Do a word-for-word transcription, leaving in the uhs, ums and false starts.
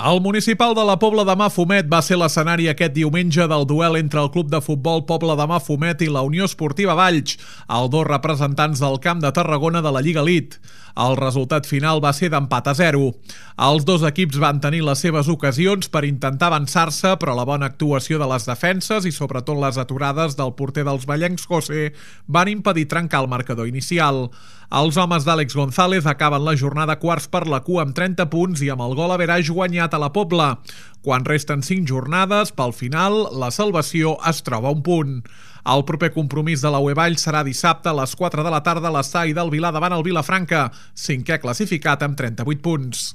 El municipal de la Pobla de Mafumet va ser l'escenari aquest diumenge del duel entre el Club de Futbol Pobla de Mafumet i la Unió Esportiva Valls, els dos representants del Camp de Tarragona de la Lliga Elite. El resultat final va ser d'empat a zero. Els dos equips van tenir les seves ocasions per intentar avançar-se, però la bona actuació de les defenses i sobretot les aturades del porter dels vallencs José van impedir trencar el marcador inicial. Els homes d'Àlex González acaben la jornada quarts per la cua amb trenta punts i amb el gol average guanyat a la Pobla. Quan resten cinc jornades, pel final, la salvació es troba a un punt. El proper compromís de la U E Valls serà dissabte a les quatre de la tarda a l'estadi del Vilar davant el Vilafranca, cinquè classificat amb trenta-vuit punts.